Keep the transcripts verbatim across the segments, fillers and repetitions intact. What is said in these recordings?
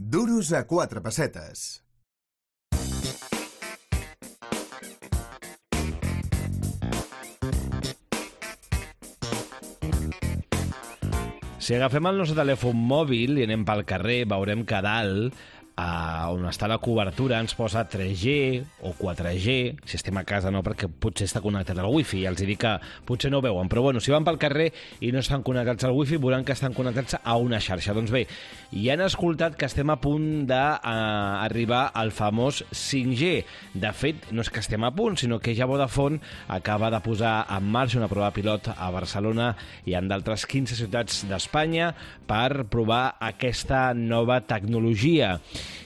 Duros a quatre pessetes. Si agafem el nostre telèfon mòbil i anem pel carrer, veurem que a dalt, a on està la cobertura, ens posa tres G o quatre G. Si estem a casa no, perquè potser està connectat al wifi. Ja els dic que potser no ho veuen, però bueno, si van pel carrer i no estan connectats al wifi, veuran que estan connectats a una xarxa. Doncs bé, ja han escoltat que estem a punt d'arribar al famós cinc G. De fet, no és que estem a punt, sinó que ja Vodafone acaba de posar en marxa una prova pilot a Barcelona i en d'altres quinze ciutats d'Espanya per provar aquesta nova tecnologia.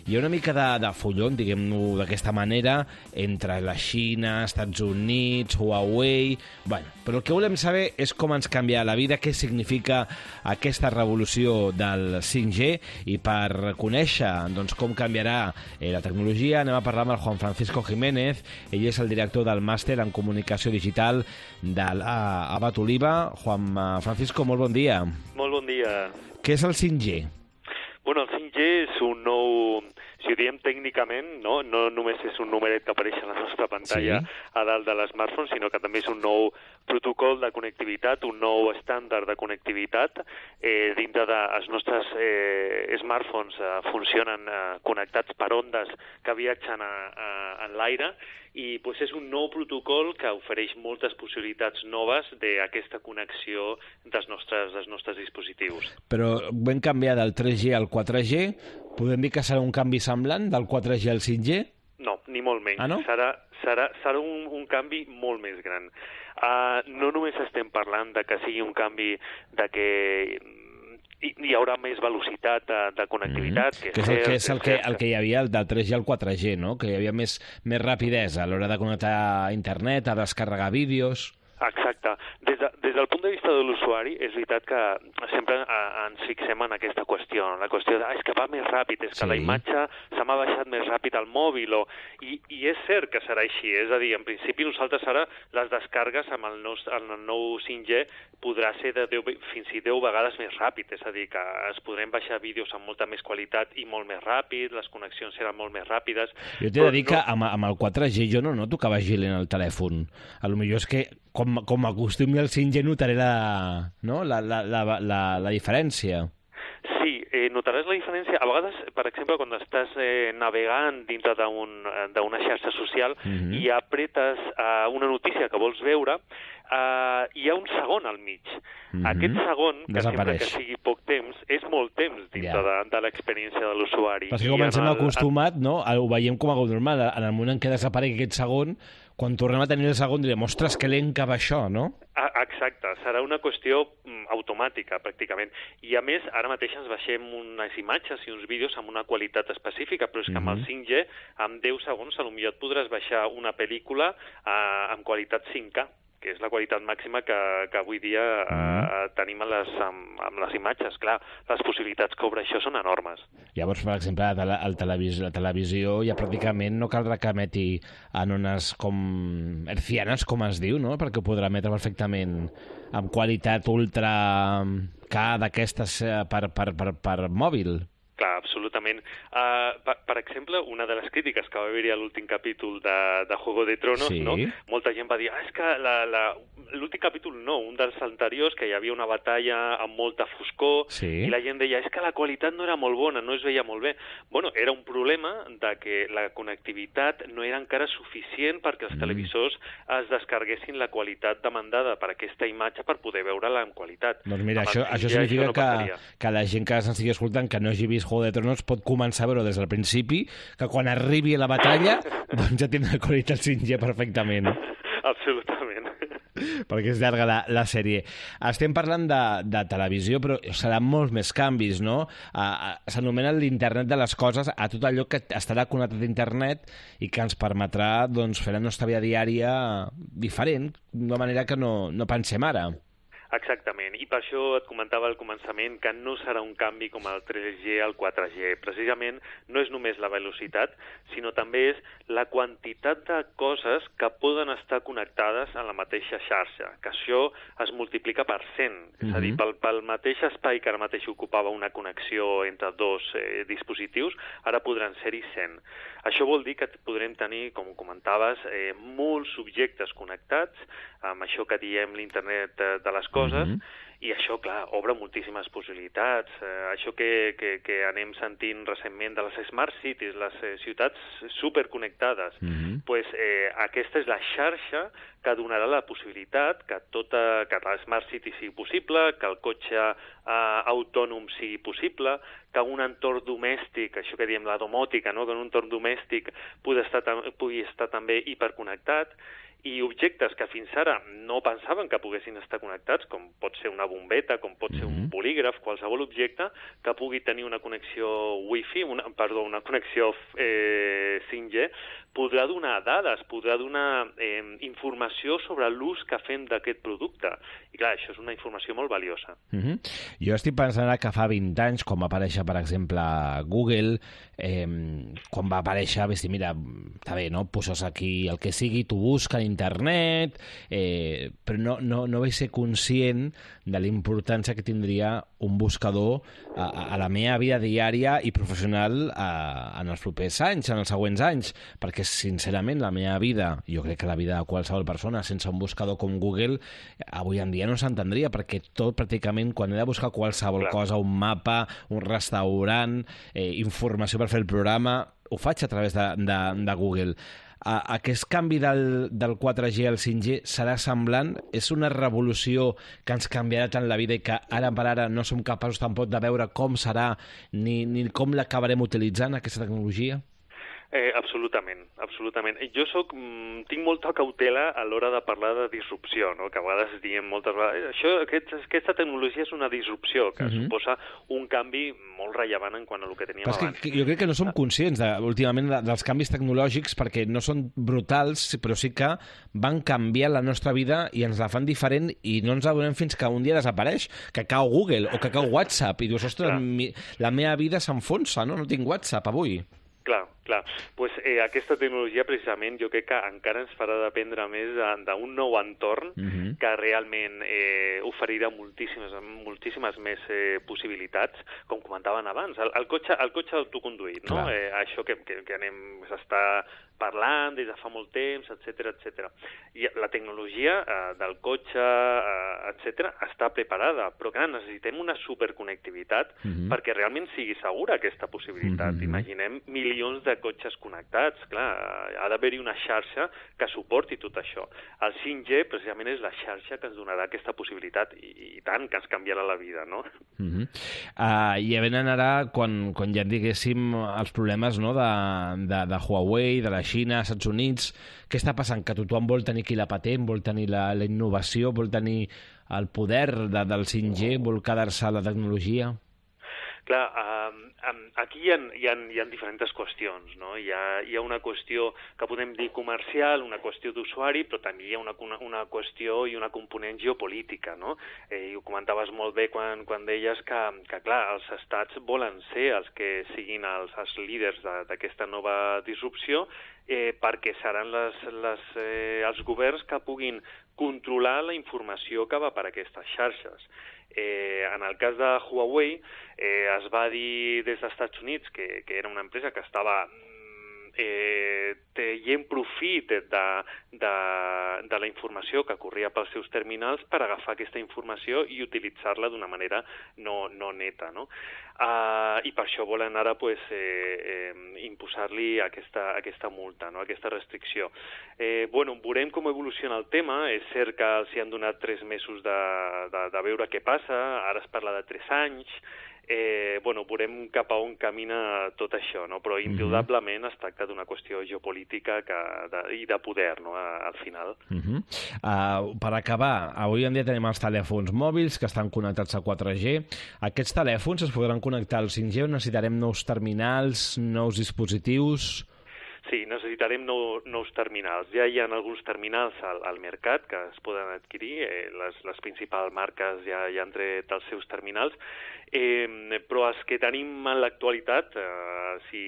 Hi ha una mica de, de follon, diguem-ho d'aquesta manera, entre la Xina, Estats Units, Huawei... Bueno, però el que volem saber és com ens canvia la vida, què significa aquesta revolució del cinc G, i per conèixer doncs, com canviarà eh, la tecnologia anem a parlar amb el Juan Francisco Jiménez. Ell és el director del màster en comunicació digital de l'Abat Oliva. Juan Francisco, molt bon dia. Molt bon dia. Què és el cinc G? Bueno, el cinc G és un nou, si ho diem tècnicament, no, no només és un numeret que apareix a la nostra pantalla sí. a dalt de l'smartphone, sinó que també és un nou protocol de connectivitat, un nou estàndard de connectivitat. Eh, dintre dels nostres eh, smartphones eh, funcionen eh, connectats per ondes que viatgen a, a, en l'aire, i pues, és un nou protocol que ofereix moltes possibilitats noves d'aquesta connexió dels nostres, dels nostres dispositius. Però vam canviar del tres G al quatre G. Podem dir que serà un canvi semblant del quatre G al cinc G? No, ni molt menys. Ah, no? Serà, serà, serà un, un canvi molt més gran. Uh, no només estem parlant de que sigui un canvi de que hi haurà més velocitat de, de connectivitat. Mm-hmm. Que, que és, el, que, és el, que, el que hi havia del tres G al quatre G, no? Que hi havia més, més rapidesa a l'hora de connectar a internet, a descarregar vídeos... Exacte. Des, de, des del punt de vista de l'usuari, és veritat que sempre a, ens fixem en aquesta qüestió, la qüestió de ah, és que va més ràpid, és que sí. la imatge se m'ha baixat més ràpid al mòbil, o... I, i és cert que serà així, és a dir, en principi nosaltres ara les descargues amb el, nou, el nou cinc G podrà ser de deu, fins i deu vegades més ràpid, és a dir, que es podrem baixar vídeos amb molta més qualitat i molt més ràpid, les connexions seran molt més ràpides... Jo t'he de dir no... que amb, amb el quatre G jo no noto que vagi lent el telèfon. A lo millor és que com, com acostumi al cinc G notaré la, no? la, la, la, la, la diferència. Sí, eh, notaràs la diferència. A vegades, per exemple, quan estàs eh, navegant dintre d'una un, xarxa social mm-hmm. i apretes uh, una notícia que vols veure, uh, hi ha un segon al mig. Mm-hmm. Aquest segon, que sempre que sigui poc temps, és molt temps dintre yeah. de, de l'experiència de l'usuari. Perquè com ens hem acostumat, no? Ho veiem com a normal. En el moment en què desapareix aquest segon, quan tornem a tenir el segon direm, ostres, que lent que va això, no? Ah, exacte, serà una qüestió mm, automàtica, pràcticament. I a més, ara mateix ens baixem unes imatges i uns vídeos amb una qualitat específica, però és que mm-hmm. amb el cinc G, en deu segons, potser et podràs baixar una pel·lícula eh, amb qualitat cinc K, que és la qualitat màxima que, que avui dia mm-hmm. eh, tenim a les, amb, amb les imatges. Clar, les possibilitats que obre això són enormes. Llavors, per exemple, a la, el televis la televisió ja pràcticament no caldrà que emeti en ones com hertzianes, com es diu, no? Perquè ho podrà emetre perfectament amb qualitat ultra K d'aquestes per, per, per, per mòbil. Clar, absolutament. Uh, per, per exemple, una de les crítiques que va haver-hi a l'últim capítol de, de Juego de Tronos, sí. no? Molta gent va dir, ah, és que l'últim capítol no, un dels anteriors, que hi havia una batalla amb molta foscor, sí. i la gent deia, és que la qualitat no era molt bona, no es veia molt bé. Bueno, era un problema de que la connectivitat no era encara suficient perquè els mm. televisors es descarguessin la qualitat demandada per aquesta imatge per poder veure-la en qualitat. Doncs mira, això, això significa això no que, que la gent que s'estigui escoltant, que no hagi vist Juego de Tronos, pot començar a veure des del principi, que quan arribi a la batalla doncs ja tindrà qualitat cinc G perfectament. Absolutament. Perquè és llarga la, la sèrie. Estem parlant de, de televisió, però seran molts més canvis, no? Uh, S'anomena l'internet de les coses, a tot allò que estarà connectat a internet i que ens permetrà doncs, fer la nostra vida diària diferent, d'una manera que no, no pensem ara. Exactament, i per això et comentava al començament que no serà un canvi com el tres G al quatre G. Precisament no és només la velocitat, sinó també és la quantitat de coses que poden estar connectades a la mateixa xarxa, que això es multiplica per cent. Mm-hmm. És a dir, pel, pel mateix espai que ara mateix ocupava una connexió entre dos eh, dispositius, ara podran ser-hi cent. Això vol dir que podrem tenir, com comentaves, eh, molts objectes connectats, amb això que diem l'internet de les coses, mm-hmm. i això, clar, obre moltíssimes possibilitats. Eh, això que, que, que anem sentint recentment de les Smart Cities, les eh, ciutats superconnectades, mm-hmm. pues, eh, aquesta és la xarxa que donarà la possibilitat que, tota, que la Smart City sigui possible, que el cotxe eh, autònom sigui possible, que un entorn domèstic, això que diem la domòtica, no? Que un entorn domèstic pugui estar, pugui estar també hiperconnectat, i objectes que fins ara no pensaven que poguessin estar connectats, com pot ser una bombeta, com pot ser un bolígraf, qualsevol objecte que pugui tenir una connexió Wi-Fi, una, perdó, una connexió eh, cinc G, podrà donar dades, podrà donar eh, informació sobre l'ús que fem d'aquest producte. I clar, això és una informació molt valiosa. Mm-hmm. Jo estic pensant que fa vint anys, quan va aparèixer, per exemple, Google, eh, quan va aparèixer, vaig dir, mira, està bé, no? Poses aquí el que sigui, tu busca en internet, eh, però no, no, no vaig ser conscient de la importància que tindria un buscador a, a la meva vida diària i professional a, en els propers anys, en els següents anys, perquè sincerament la meva vida, jo crec que la vida de qualsevol persona sense un buscador com Google avui en dia no s'entendria, perquè tot pràcticament quan he de buscar qualsevol Clar. cosa, un mapa, un restaurant, eh, informació per fer el programa, ho faig a través de, de, de Google. Uh, aquest canvi del, del quatre G al cinc G serà semblant? És una revolució que ens canviarà tant la vida i que ara per ara no som capaços tampoc de veure com serà ni, ni com l'acabarem utilitzant, aquesta tecnologia? Eh, absolutament, absolutament. Jo soc, tinc molta cautela a l'hora de parlar de disrupció, no? Que a vegades diem moltes vegades això, aquest, aquesta tecnologia és una disrupció, que uh-huh. suposa un canvi molt rellevant en quant a el que teníem Però abans. Que, jo crec que no som conscients de, últimament de, dels canvis tecnològics perquè no són brutals, però sí que van canviar la nostra vida i ens la fan diferent i no ens adonem fins que un dia desapareix, que cau Google o que cau WhatsApp i dius, ostres, mi, la meva vida s'enfonsa, no? No tinc WhatsApp avui. Clar, clar. Pues, eh, aquesta tecnologia, precisament, jo crec que encara ens farà dependre més d'un nou entorn uh-huh. que realment eh, oferirà moltíssimes, moltíssimes més eh, possibilitats, com comentaven abans. El, el cotxe, el cotxe autoconduït, no? Eh, això que, que, que anem, s'està parlant des de fa molt temps, etcètera, etcètera. I la tecnologia eh, del cotxe, eh, etcètera, està preparada, però clar, necessitem una superconnectivitat uh-huh. perquè realment sigui segura aquesta possibilitat. Uh-huh. Imaginem milions de cotxes connectats, clar, ha d'haver-hi una xarxa que suporti tot això. El cinc G precisament és la xarxa que ens donarà aquesta possibilitat i, i tant que ens canviarà la vida, no? Uh-huh. uh, I venen ara, quan, quan ja diguéssim els problemes, no, de, de, de Huawei, de la Xina, als Estats Units, què està passant? Que tothom vol tenir aquí la patent, vol tenir la, la innovació, vol tenir el poder de, del cinc G, vol quedar-se a la tecnologia? Clar, um, um, aquí hi ha, hi, ha, hi ha diferents qüestions, no? Hi ha, hi ha una qüestió que podem dir comercial, una qüestió d'usuari, però també hi ha una, una, una qüestió i una component geopolítica, no? Eh, I ho comentaves molt bé quan, quan deies que, que, clar, els estats volen ser els que siguin els, els líders d'aquesta nova disrupció, eh, perquè seran les, les, eh, els governs que puguin controlar la informació que va per aquestes xarxes. Eh, en el cas de Huawei, eh, es va dir des dels Estats Units que, que era una empresa que estava eh, traient profit de, de, de la informació que corria pels seus terminals per agafar aquesta informació i utilitzar-la d'una manera no, no neta, no? Uh, I per això volen ara pues, eh, eh, imposar-li aquesta, aquesta multa, no? Aquesta restricció. Eh, bueno, veurem com evoluciona el tema. És cert que els hi han donat tres mesos de, de, de veure què passa, ara es parla de tres anys. Eh, bueno, veurem cap a on camina tot això, no? Però indudablement es tracta d'una qüestió geopolítica que, de, i de poder, no? Al final. Uh-huh. uh, per acabar, avui en dia tenim els telèfons mòbils que estan connectats a quatre G. Aquests telèfons es podran connectar al cinc G o necessitarem nous terminals, nous dispositius? Sí, Sí, necessitarem nou, nous terminals. Ja hi ha alguns terminals al, al mercat que es poden adquirir, eh, les, les principals marques ja, ja han tret els seus terminals, eh, però els que tenim en l'actualitat eh, si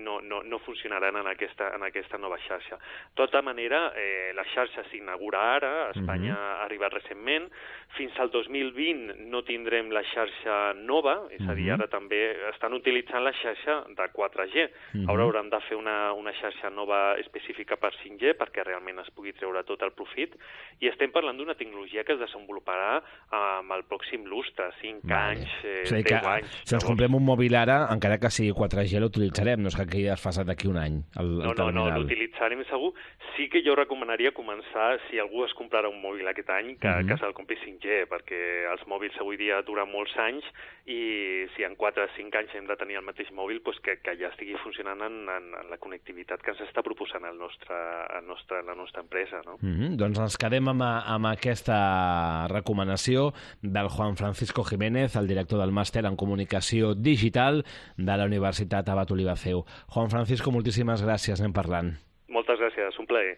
no, no, no funcionaran en aquesta, en aquesta nova xarxa. De tota manera, eh, la xarxa s'inaugura ara, a Espanya uh-huh. ha arribat recentment, fins al dos mil vint no tindrem la xarxa nova, és a dir, ara també estan utilitzant la xarxa de quatre G. Uh-huh. Ara hauran de fer una, una xarxa nova específica per cinc G perquè realment es pugui treure tot el profit, i estem parlant d'una tecnologia que es desenvoluparà amb el pròxim lustre, cinc vale. anys, eh, o sigui deu que, anys. Si ens comprem un mòbil ara, encara que sigui quatre G, l'utilitzarem, no és que quedi desfasat d'aquí un any, el, el no, terminal. No, no, l'utilitzarem segur. Sí que jo recomanaria començar, si algú es comprarà un mòbil aquest any, que, uh-huh. que se'l compri cinc G, perquè els mòbils avui dia duren molts anys, i si en quatre o cinc anys hem de tenir el mateix mòbil, doncs que, que ja estigui funcionant en, en, en la connectivitat que ens està proposant el nostre, el nostre, la nostra empresa. No? Mm-hmm. Doncs ens quedem amb, amb aquesta recomanació del Juan Francisco Jiménez, el director del màster en comunicació digital de la Universitat Abat Oliva C E U. Juan Francisco, moltíssimes gràcies, anem parlant. Moltes gràcies, un plaer.